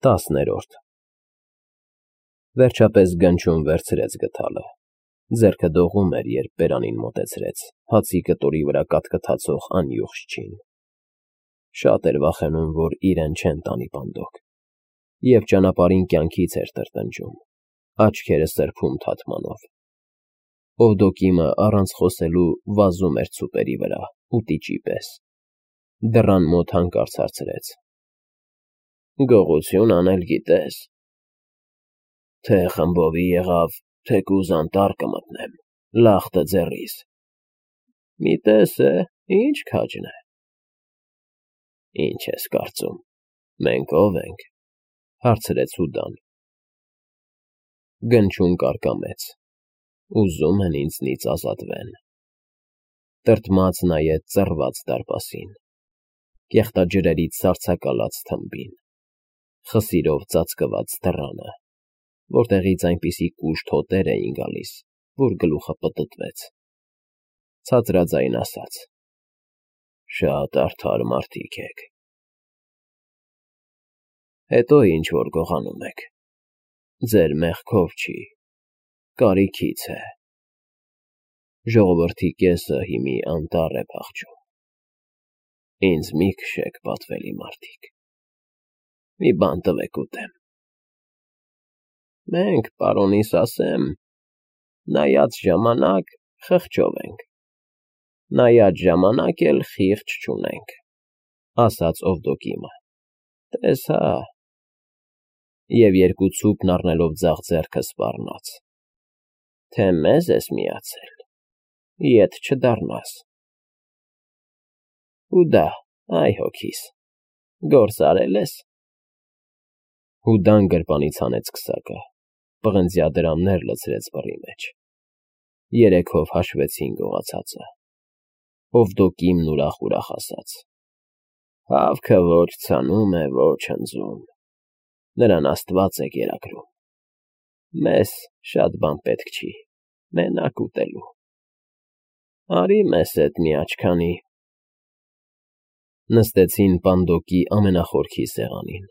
10-րդ Վերջապես Գնչուն վերցրեց գդալը, ձեռքը դողում էր, երբ բերանին մոտեցրեց, հացի կտորի վրա կաթկթացող անյուղ չին, շատ էր վախենում, որ իրեն չեն տանի պանդոկ, և ճանապարհին կյանքից էր տրտնջում, աչքերը սրբում թաթմանով, Օվդոկիմը առանց խոսելու վազում էր ցուպերի վրա, ուտիճի պես, դռան մոտ հանկարծ հարցրեց. Գողություն անել գիտես, թե խմբովի եղավ, թեկուզ անտառ կմտնեմ, լախտը ձեռիս, մի տես է, ինչ քաջն է, ինչ ես կարծում, մենք ով ենք, հարցրեց Հուդան, Գնչուն կարկամեց, ուզում են ինձնից ազատվեն, տրտմած նայեց ծռված դարպասին, կեղտաջրերից սառցակալած թմբին, խսիրով ծածկված դռանը, որտեղից այնպիսի կուշտ հոտեր էին գալիս, որ գլուխը պտտվեց, ցածրաձայն ասաց. Շատ արդար մարդիկ եք, հետո ինչ-որ գողանում եք, ձեր մեղքով չի, կարիքից է, ժողովրդի կեսը հիմի անտառ է փախչում, ինձ մի քշեք, պատվելի մարդիկ, մի բան տվեք ուտեմ, մենք, պարոնիս ասեմ, նայած ժամանակ խղճով ենք, նայած ժամանակ էլ խիղճ չունենք, ասաց Օվդոկիմը, տես հա, և երկու ցուպն առնելով ձախ ձեռքը սպառնաց, թե մեզ ես միացել, ետ չդառնաս, Հուդա, այ հոգիս, գործ արել ես, Հուդան գրպանից հանեց քսակը, պղնձյադրամներ լցրեց բռի մեջ, 3 հով հաշվեցին գողացածը, Օվդոկիմն ուրախ ասաց. Հավքը ոչ ցանում է, ոչ հնձում, նրան Աստված է կերակրում, մեզ շատ բան պետք չի, մենակ ուտելու, արի մեզ հետ մի աչքանի, նստեցին պանդոկի ամենախորքի սեղանին,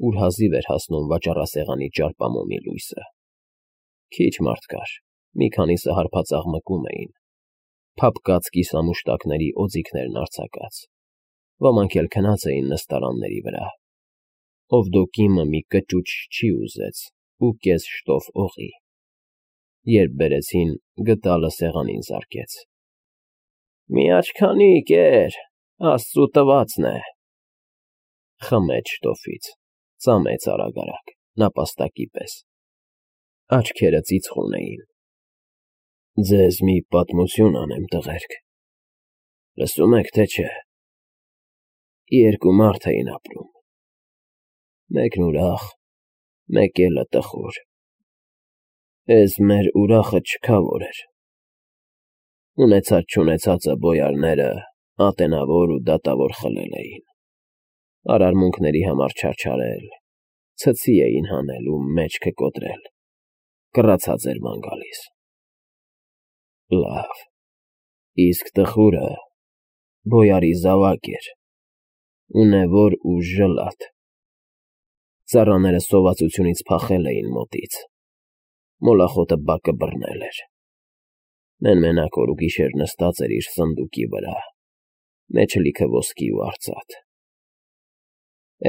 ուր հազիվ էր հասնում վաճառասեղանի ճարպամոմի լույսը, քիչ մարդ կար, մի քանիսը հարբածաղ մկում էին, փափկած կիսամուշտակների օձիքներն արձակած, ոմանք էլ քնած էին նստարանների վրա, Օվդոկիմը մի կճուճ ուզեց ու կես շտով օղի, երբ բերեցին, գդալը սեղանին զարկեց, մի աչքանի, կեր, Աստծու տվածն է, խմեց շտոֆից, ծամեց արագ, նապաստակի պես, աչքերը ծիծխուն էին, ձեզ մի պատմություն անեմ, տղերք, լսում եք, թե չէ, 2 մարդ էին ապրում, մեկն ուրախ, մեկելը տխուր, էս մեր ուրախը չքավոր էր, ունեցած-չունեցածը բոյարները ատենավոր ու դատավոր խլել էին, արարմունքների համար չարչարել, ցցի էին հանել ու մեջքը կոտրել, կռացած էր ման գալիս, լավ, իսկ տխուրը բոյարի զավակ էր, ունևոր ու ժլատ, ծառաները սովածությունից փախել էին մոտից, մոլախոտը բակը բռնել էր, մենակ օր ու գիշեր նստած էր իր սնդուկի վրա, մեջը լիքը ոսկի ու արծաթ,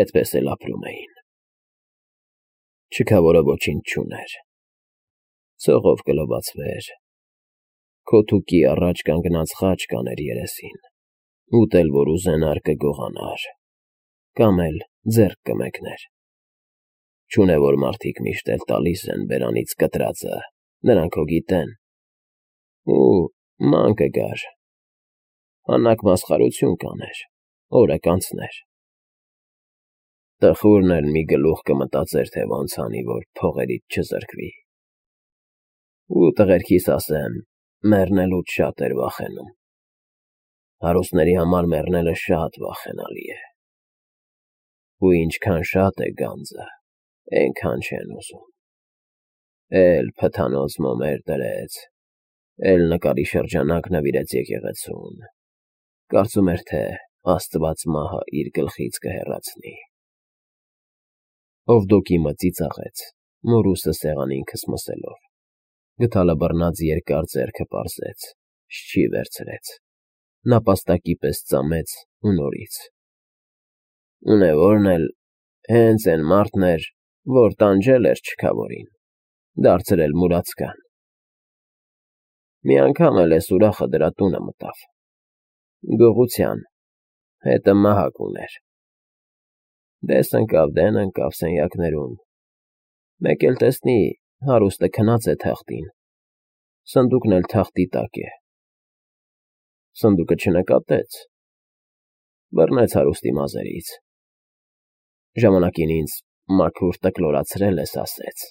էդպես էլ ապրում էին, չքավորը ոչինչ չուներ, ցողով կլվացվեր, քոթուկի առաջ կանգնած խաչ կաներ երեսին, ուտել որ ուզենար կգողանար, կամ էլ ձեռք կմեկներ, չունևոր մարդիկ միշտ էլ տալիս են բերանից կտրածը, նրանք հո գիտեն, ու ման կգար, անակ մասխարություն կաներ, օրը կանցներ, տխուրն էլ մի գլուխ կմտածեր, թե ոնց անի, որ փողերից չզրկվի, ու տղերքիս ասեմ, մեռնելուց շատ էր վախենում, հարուստների համար մեռնելը շատ վախենալի է, ու ինչքան շատ է գանձը, այնքան չեն ուզում, էլ փթանոց մոմեր դրեց, էլ նկարի շրջանակ նվիրեց եկեղեցուն, կարծում էր, թե Աստված մահը իր գլխից կհեռացնի, Ovdokի ծիծաղեց, մորուսը սեղանին քսմսելով, գդալը բռնած երկար ձեռքը պարզեց, շչի վերցրեց, նապաստակի պես ծամեց ու նորից. Ունևորն էլ հենց էն մարդն էր, որ տանջել էր չքավորին, դարձրել մուրացկան։ Մի անգամ էլ էս ուրախը դրա տունը մտավ, գողության, հետը մահակ ուներ, դես ընկավ դեն ընկավ սենյակներում, մեկ էլ տեսնի հարուստը քնած է թախտին, սնդուկն էլ թախտի տակ է, սնդուկը չնկատեց, բռնեց հարուստի մազերից, ժամանակին ինձ մաքուր տկլորացրել ես ասեց,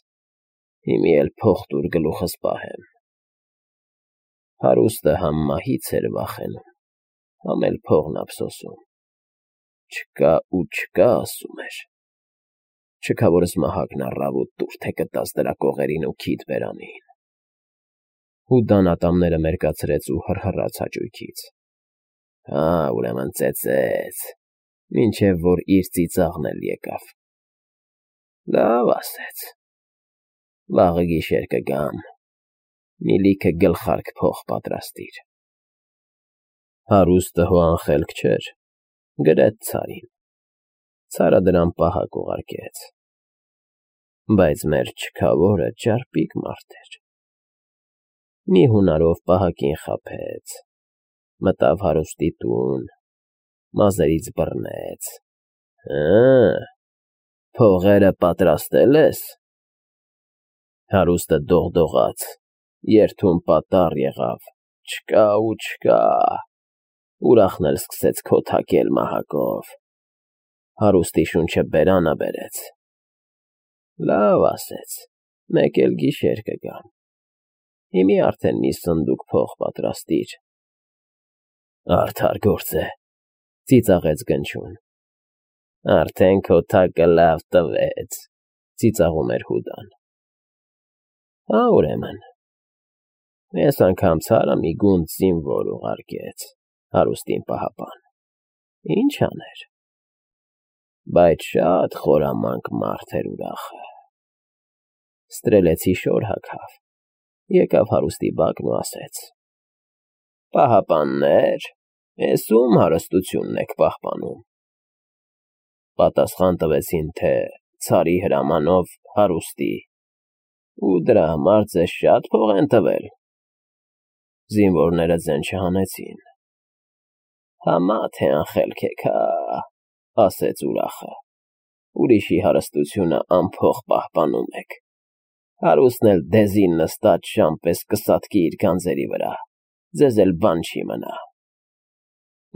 հիմի էլ փող տուր գլուխս պահեմ, հարուստը համ մահից էր վախենում, համ էլ փողն ափսոսում, չկա ու չկա ասում էր, չքավորս մահակն առավ ու տուր թե կտաս դրա կողերին ու քիթ բերանին, Հուդան ատամները մերկացրեց ու հռհռաց հաճույքից, հա, ուրեմն ծեծեց, մինչև որ իր ծիծաղն էլ եկավ, լավ ասեց, վաղը գիշեր կգամ, մի լիքը գլխարկ փող պատրաստիր, հարուստը հո անխելք չէր, գրեց ցարին, ցարը դրան պահակ ուղարկեց, բայց մեր չքավորը ճարպիկ մարդ էր, մի հունարով պահակին խաբեց, մտավ հարուստի տուն, մազերից բռնեց, փողերը պատրաստել ես, հարուստը դողդողաց, երթում պատառ եղավ, չկա ու չկա, ուրախն էլ սկսեց քոթակել մահակով, հարուստի շունչը բերանա բերեց, լավ ասեց, մեկ էլ գիշեր կգամ, հիմի արդեն մի սնդուկ փող պատրաստիր, արդար գործ է, ծիծաղեց գնչուն, արդեն քոթակը լավ տվեց, ծիծաղում էր Հուդան, հա ուրեմն, ես անգամ ցարը մի գունդ զինվոր ուղարկեց, հարուստին պահապան, ինչ աներ, բայց շատ խորամանկ մարդ էր ուրախը, ստրելեցի շոր հագավ, եկավ հարուստի բակն ու ասեց. Պահապաններ, ես ում հարստությունն եք պահպանում։ Պատասխան տվեցին, թե ցարի հրամանով հարուստի, ու դրա համար ձեզ շատ փող են տվել։ Զինվորները ձեն չհանեցին։ Համա թե անխելք եք, հա, ասեց ուրախը, ուրիշի հարստությունը անփող պահպանում եք։ Հարուստն էլ դեզին նստած շան պես կսատկի իր գանձերի վրա, ձեզ էլ բան չի մնա։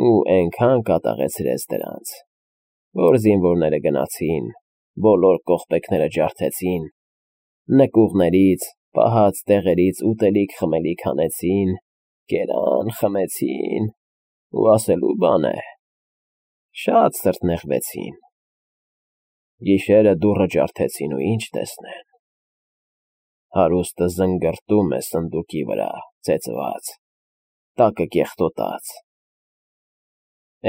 Ու այնքան կատաղեցրեց դրանց, որ զինվորները գնացին, բոլոր կողպեքները ջարդեցին, նկուղներից, պահած տեղերից ուտելիք խմելիք հանեցին, կերան, խմեցին, ու ասելու բան է, շատ սրտնեղվեցին։ Գիշերը դուռը ջարդեցին ու ինչ տեսնեն։ Հարուստը զնգրտում է սնդուկի վրա, ծեծված, տակը կեղտոտած։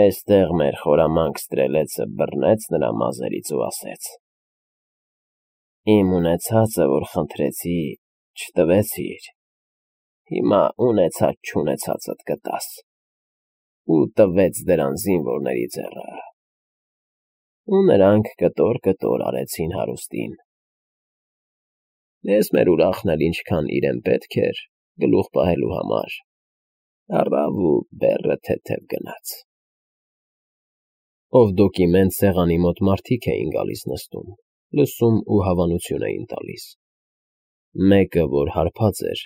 Էստեղ մեր խորամանկ ստրելեցը բռնեց նրա մազերից ու ասեց. Իմ ունեցածը, որ խնդրեցի, չտվեցիր, հիմա ունեցած չունեցածդ կտաս, ու տվեց դրան զինվորների ձեռը։ Ու նրանք կտոր արեցին հարուստին։ Ես մեր ուրախն էլ ինչքան իրեն պետք էր գլուխ պահելու համար, առավ ու բեռը թեթև գնաց։ Ovdokի մենց սեղանի մոտ մարդիկ էին գալիս նստում, լսում ու հավանություն էին տալիս։ Մեկը, որ հարբած էր,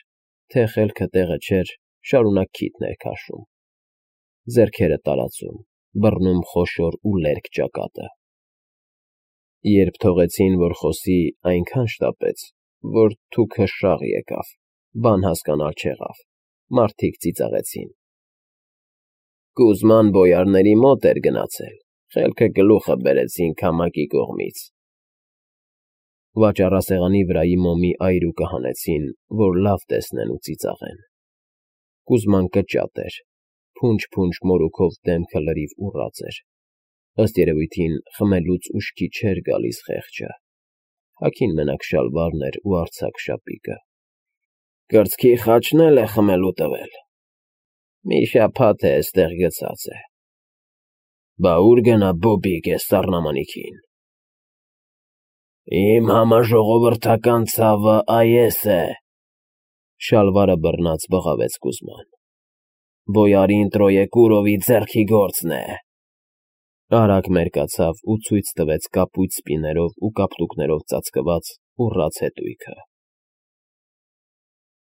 թե խելքը տեղը չէր, շարունակ քիթներ քաշում, ձեռքերը տարածում, բռնում խոշոր ու լերկ ճակատը։ Երբ թողեցին, որ խոսի, այնքան շտապեց, որ թուքը շաղ եկավ, բան հասկանալ չեղավ, մարդիկ ծիծաղեցին։ Կուզման բոյարների մոտ էր գնացել, խելքը գլուխը բերեցին քամակի կողմից։ Վաճառասեղանի վրայի մոմի այրուկը հանեցին, որ լավ տեսնեն ու ծիծաղեն։ Կուզման կճատ էր, փունջ-փունջ մորուքով դեմքը լրիվ ուռած էր, ըստ երևույթին խմելուց ուշքի չէր գալիս խեղճը։ Հագին մենակ շալվարն էր ու արձակ շապիկը։ Կրծքի խաչն էլ է խմելու տվել։ Մի շաբաթ է էստեղ գցած է։ Բա ուր գնա Բոբիկ էս սառնամանիքին։ Իմ համաժողովրդական ցավը այ էս է, շալվարը բռնած բղավեց Կուզման։ Բոյարին Տրոեկուրովի ձեռքի գործն է։ Արագ մերկացավ ու ցույց տվեց կապույտ սպիներով ու կապտուկներով ծածկված ուռած հետույքը։